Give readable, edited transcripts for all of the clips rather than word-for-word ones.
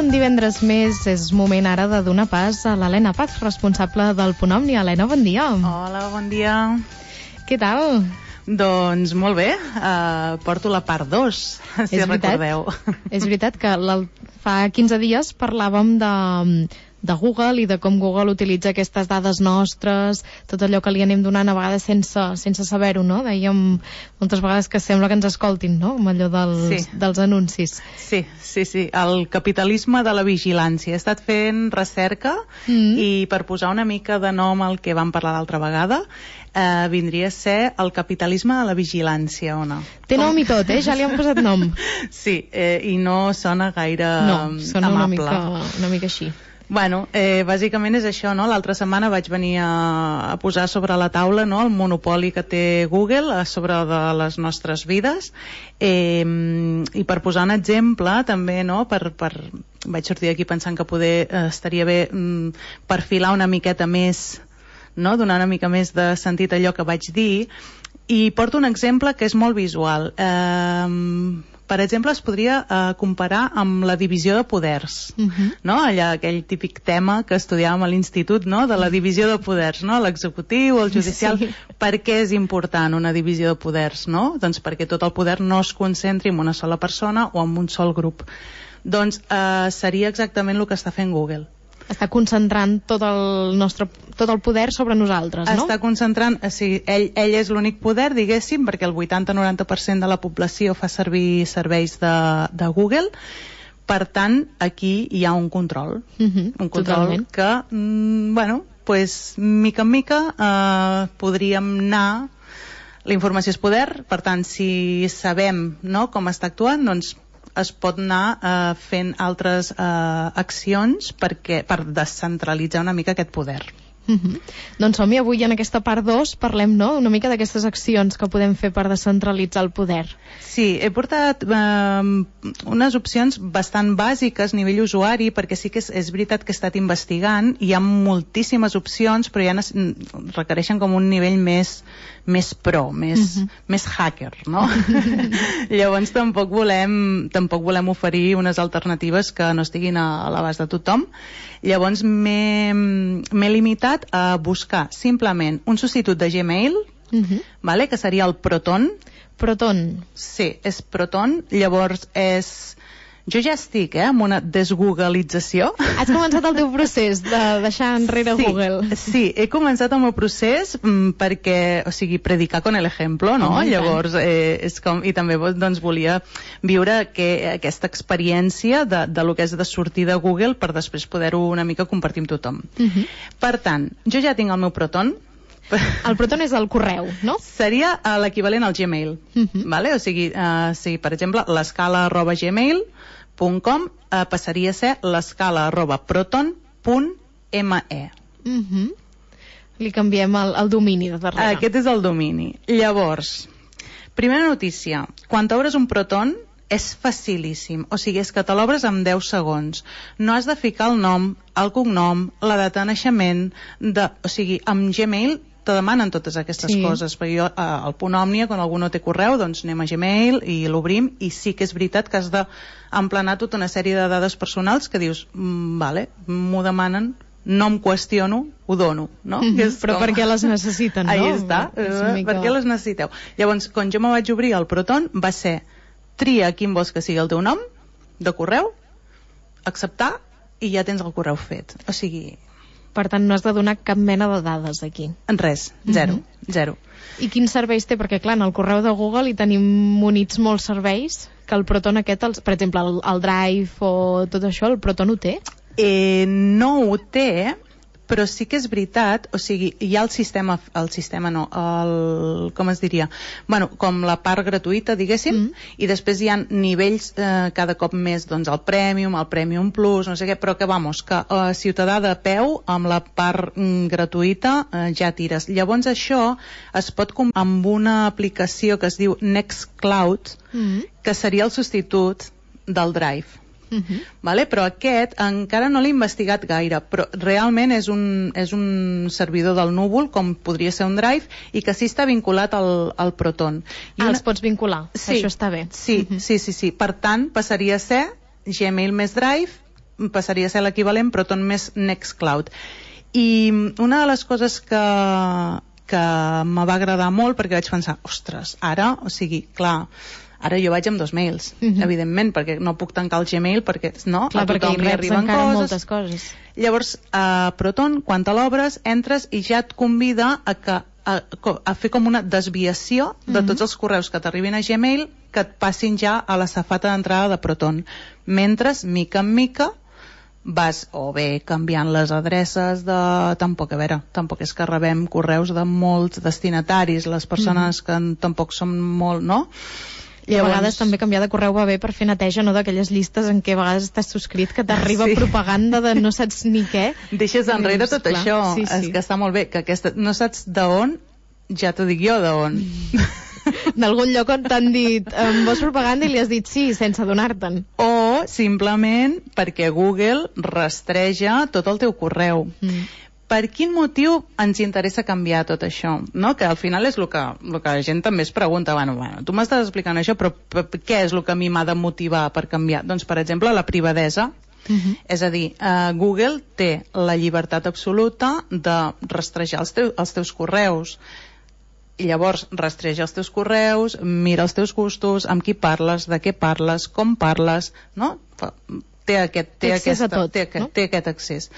un divendres més és moment ara de donar pas a l'Helena Paz, responsable del Punt Omni. Helena, bon dia. Hola, bon dia. Què tal? Doncs molt bé, porto la part 2, si recordeu. És veritat que fa 15 dies parlàvem de Google i de com Google utilitza aquestes dades nostres, tot allò que li anem donant a vegades sense saber-ho, no? Dèiem moltes vegades que sembla que ens escoltin, no? Amb allò dels anuncis. Sí, el capitalisme de la vigilància. He estat fent recerca i per posar una mica de nom al que vam parlar l'altra vegada, vindria a ser el capitalisme de la vigilància, o no? Té nom i tot, ja li han posat nom. Sí, i no sona gaire amable. No, sona una mica així. Bueno, bàsicament és això, no? L'altra setmana vaig venir a posar sobre la taula, no, el monopoli que té Google a sobre de les nostres vides, i per posar un exemple també, no, vaig sortir d'aquí pensant que poder estaria bé perfilar una miqueta més, no, donar una mica més de sentit a allò que vaig dir, i porto un exemple que és molt visual. Per exemple, es podria comparar amb la divisió de poders, no? Aquell típic tema que estudiàvem a l'institut, no? De la divisió de poders, no? L'executiu, el judicial. Sí. Per què és important una divisió de poders, no? Doncs perquè tot el poder no es concentri en una sola persona o en un sol grup. Doncs seria exactament el que està fent Google. Està concentrant tot el poder sobre nosaltres, no? Està concentrant, ell és l'únic poder, diguéssim, perquè el 80-90% de la població fa servir serveis de Google. Per tant, aquí hi ha un control. Un control totalment. Que, mica en mica, podríem anar... La informació és poder, per tant, si sabem, no, com està actuant, doncs es pot anar fent altres accions per descentralitzar una mica aquest poder. Doncs som-hi, avui en aquesta part 2 parlem, no?, una mica d'aquestes accions que podem fer per descentralitzar el poder. Sí, he portat unes opcions bastant bàsiques a nivell usuari, perquè sí que és veritat que he estat investigant, hi ha moltíssimes opcions, però ja requereixen com un nivell més pro, més hacker, no? Llavors tampoc volem oferir unes alternatives que no estiguin a l'abast de tothom. Llavors m'he limitat a buscar simplement un substitut de Gmail, que seria el Proton. Proton. Sí, és Proton. Llavors jo ja estic amb una desgoogleització. Has començat el teu procés de deixar enrere Google. Sí, he començat el meu procés perquè, predicar con el ejemplo, no? Llavors, i també doncs, volia viure aquesta experiència de lo que és de sortir de Google per després poder-ho una mica compartir amb tothom. Per tant, jo ja tinc el meu Proton. El Proton és el correu, no? Seria l'equivalent al Gmail. O sigui, per exemple, l'escala@gmail.com passaria a ser l'escala@proton.me. Li canviem el domini de darrere. Aquest és el domini. Llavors, primera notícia, quan t'obres un Proton és facilíssim, o sigui, és que te l'obres en 10 segons. No has de ficar el nom, el cognom, la data de naixement, o sigui, amb Gmail te demanen totes aquestes coses, perquè jo al Punt Òmnia, quan algú no té correu, doncs anem a Gmail i l'obrim, i sí que és veritat que has d'emplenar tota una sèrie de dades personals que dius, vale, m'ho demanen, no em qüestiono, ho dono, no? Però per què les necessiten, no? Ahí està, per què les necessiteu? Llavors, quan jo me vaig obrir el Proton, va ser tria quin vols que sigui el teu nom de correu, acceptar, i ja tens el correu fet. O sigui... Per tant, no has de donar cap mena de dades aquí. Res, zero. I quins serveis té? Perquè, clar, en el correu de Google hi tenim munits molts serveis, que el Proton aquest, per exemple, el Drive o tot això, el Proton ho té? No ho té, però sí que és veritat, o sigui, hi ha com es diria? Bueno, com la part gratuïta, diguéssim, i després hi ha nivells cada cop més, doncs el Premium Plus, no sé què, però que, si te da de peu, amb la part gratuïta ja tires. Llavors això es pot comprar amb una aplicació que es diu Nextcloud, que seria el substitut del Drive. Però aquest encara no l'he investigat gaire, però realment és un servidor del núvol, com podria ser un Drive, i que sí està vinculat al Proton. Els pots vincular, això està bé. Sí. Per tant, passaria a ser Gmail més Drive passaria a ser l'equivalent Proton més Nextcloud. I una de les coses que me va agradar molt, perquè vaig pensar, ostres, ara, o sigui, clar, ara jo vaig amb 2 mails, evidentment, perquè no puc tancar el Gmail, perquè no, clar, a tothom li arriben moltes coses. Llavors, a Proton, quan te l'obres, entres i ja et convida a fer com una desviació de tots els correus que t'arribin a Gmail, que et passin ja a la safata d'entrada de Proton. Mentre, mica en mica, vas o bé canviant les adreces de... Tampoc és que rebem correus de molts destinataris, les persones que tampoc són molt, no? I a vegades també canviar de correu va bé per fer neteja, no, d'aquelles llistes en què a vegades estàs subscrit, que t'arriba propaganda de no saps ni què. Deixes enrere tot això, és que està molt bé, que aquesta, no saps d'on, ja t'ho dic jo d'on. D'algun lloc on t'han dit vols propaganda i li has dit sí, sense adonar-te'n. O simplement perquè Google rastreja tot el teu correu. Per quin motiu ens interessa canviar tot això? No? Que al final és el que la gent també es pregunta, bueno, tu m'estàs explicant això, però què és el que a mi m'ha de motivar per canviar? Doncs, per exemple, la privadesa. És a dir, Google té la llibertat absoluta de rastrejar els teus correus. I llavors rastreja els teus correus, mira els teus gustos, amb qui parles, de què parles, com parles, no? Té aquest accés.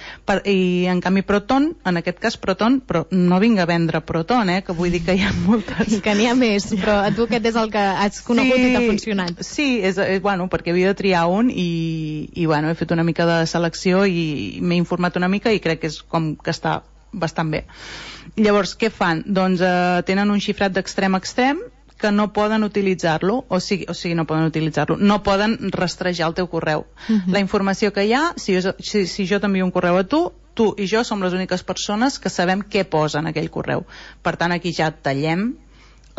I en canvi Proton, en aquest cas Proton, però no vinc a vendre Proton, que vull dir que hi ha moltes. Que n'hi ha més, però a tu aquest és el que has conegut i t'ha funcionat. Sí, bueno, perquè havia de triar un i bueno, he fet una mica de selecció i m'he informat una mica i crec que és com que està bastant bé. Llavors, què fan? Doncs tenen un xifrat d'extrem a extrem que no poden utilitzar-lo, o sigui, no poden utilitzar-lo, no poden rastrejar el teu correu. La informació que hi ha, si jo t'envio un correu a tu i jo som les úniques persones que sabem què posa en aquell correu. Per tant, aquí ja tallem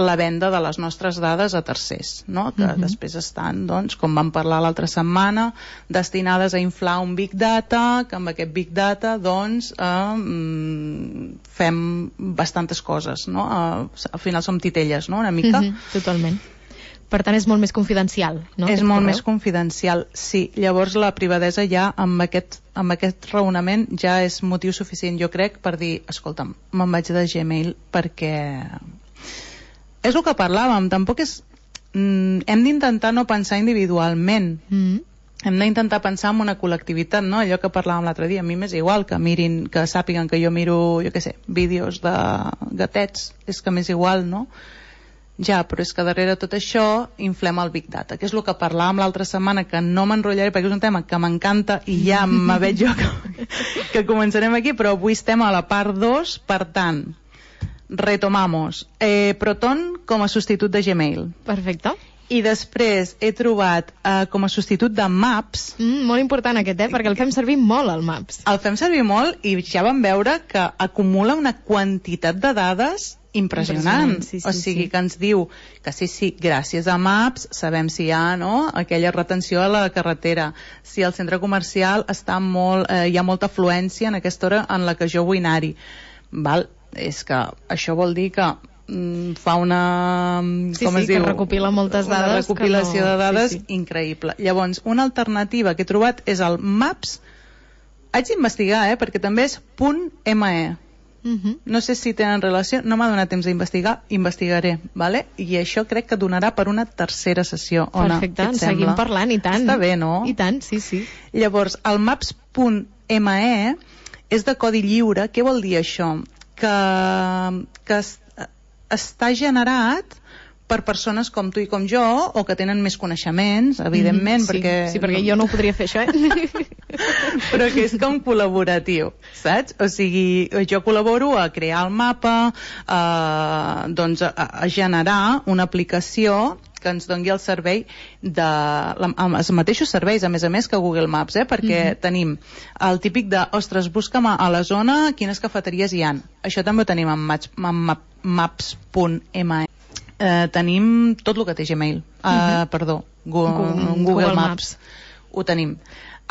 la venda de les nostres dades a tercers, no? Que després estan, doncs, com vam parlar l'altra setmana, destinades a inflar un Big Data, que amb aquest Big Data, doncs, fem bastantes coses, no? Al final som titelles, no?, una mica. Totalment. Per tant, és molt més confidencial, no? És molt més confidencial, sí. Llavors, la privadesa ja, amb aquest raonament, ja és motiu suficient, jo crec, per dir, escolta'm, me'n vaig de Gmail perquè... És el que parlàvem, tampoc és... hem d'intentar no pensar individualment. Hem d'intentar pensar en una col·lectivitat, no? Allò que parlàvem l'altre dia, a mi m'és igual que mirin, que sàpiguen que jo miro, jo què sé, vídeos de gatets, és que m'és igual, no? Ja, però és que darrere tot això inflem el Big Data, que és el que parlàvem l'altra setmana, que no m'enrotllaré perquè és un tema que m'encanta i ja me veig jo que començarem aquí, però avui estem a la part 2, per tant... Retomamos. Proton com a substitut de Gmail. Perfecte. I després he trobat com a substitut de Maps. Molt important aquest, perquè el fem servir molt, el Maps. El fem servir molt i ja vam veure que acumula una quantitat de dades impressionant. Sí, o sigui, que ens diu que sí, gràcies a Maps sabem si hi ha, no?, aquella retenció a la carretera, si el centre comercial està hi ha molta afluència en aquesta hora en la que jo vull anar-hi. Val? És que això vol dir que fa una... com es diu? Que recopila moltes dades. Una recopilació de dades increïble. Llavors, una alternativa que he trobat és el Maps. Haig d'investigar, perquè també és .me. No sé si tenen relació, no m'ha donat temps d'investigar, investigaré, vale? I això crec que donarà per una tercera sessió. Perfecte, en seguim parlant, i tant. Està bé, no? I tant, sí. Llavors, el Maps.me és de codi lliure. Què vol dir això? Que està generat per persones com tu i com jo, o que tenen més coneixements, evidentment, perquè... Sí, perquè jo no ho podria fer, això, Però que és com col·laboratiu, saps? O sigui, jo col·laboro a crear el mapa, doncs a generar una aplicació que ens doni el servei els mateixos serveis, a més que Google Maps, perquè tenim el típic de, ostres, busca'm a la zona quines cafeteries hi ha. Això també ho tenim en maps.me. Tenim tot el que té Gmail, Google Maps. Ho tenim.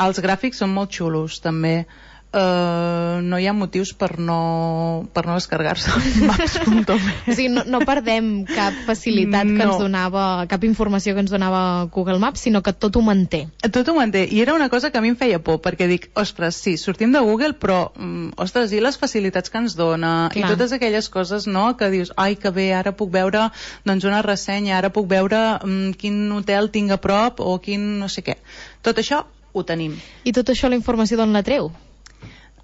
Els gràfics són molt xulos, també. no hi ha motius per no descarregar-se maps.me. O sigui, no perdem cap facilitat que ens donava, cap informació que ens donava Google Maps, sinó que tot ho manté. Tot ho manté, i era una cosa que a mi em feia por, perquè dic, ostres, sí, sortim de Google, però, ostres, i les facilitats que ens dona, i totes aquelles coses, no?, que dius, ai, que bé, ara puc veure, doncs, una ressenya, ara puc veure quin hotel tinc a prop, o quin no sé què. Tot això ho tenim. I tot això, la informació d'on la treu?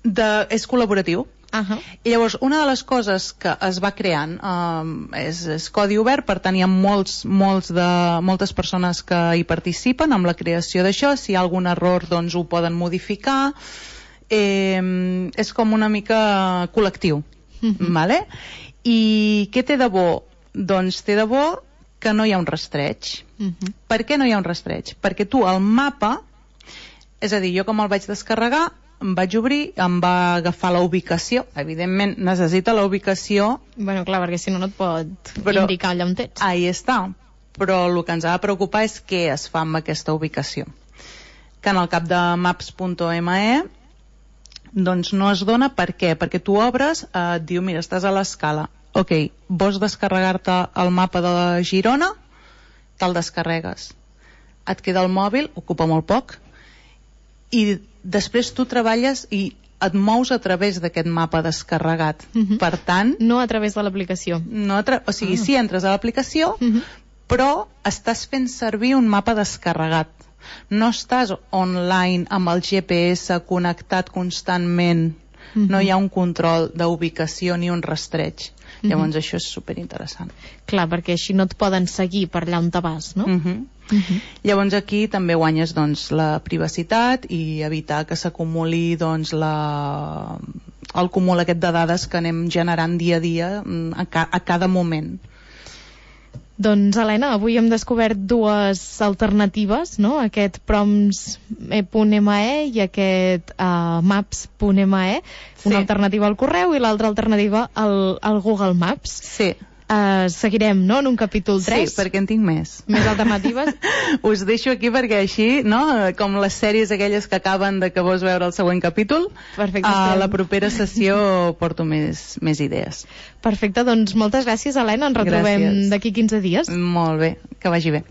És col·laboratiu. I llavors una de les coses que es va creant és codi obert, per tant hi ha moltes persones que hi participen amb la creació d'això. Si hi ha algun error, doncs ho poden modificar. És com una mica col·lectiu. Vale? I què té de bo? Doncs té de bo que no hi ha un rastreig. Per què no hi ha un rastreig? Perquè tu el mapa, és a dir, jo com el vaig descarregar, em vaig obrir, em va agafar la ubicació. Evidentment necessita la ubicació. Bueno, clar, perquè si no et pot indicar allà on ets. Ahí està. Però el que ens ha de preocupar és què es fa amb aquesta ubicació. Que en el cap de maps.me doncs no es dona. Per què? Perquè tu obres, et diu, mira, estàs a l'Escala. Ok, vols descarregar-te el mapa de Girona? Te'l descarregues. Et queda el mòbil, ocupa molt poc, i després tu treballes i et mous a través d'aquest mapa descarregat. Per tant... No a través de l'aplicació. O sigui, sí, entres a l'aplicació, però estàs fent servir un mapa descarregat. No estàs online amb el GPS connectat constantment. No hi ha un control d'ubicació ni un rastreig. Llavors això és superinteressant. Clar, perquè així no et poden seguir per allà on te vas, no? Llavors aquí també guanyes doncs, la privacitat i evitar que s'acumuli doncs, el cúmul aquest de dades que anem generant dia a dia a cada moment. Doncs, Helena, avui hem descobert dues alternatives, no? Aquest proms.me i aquest maps.me, una alternativa al correu i l'altra alternativa al Google Maps. Sí. Seguirem, no?, en un capítol 3. Sí, perquè en tinc més. Més alternatives. Us deixo aquí perquè així, no?, com les sèries aquelles que acaben de que vols veure el següent capítol, perfecte, a la propera sessió porto més idees. Perfecte, doncs moltes gràcies, Helena. Ens retrobem d'aquí 15 dies. Molt bé, que vagi bé.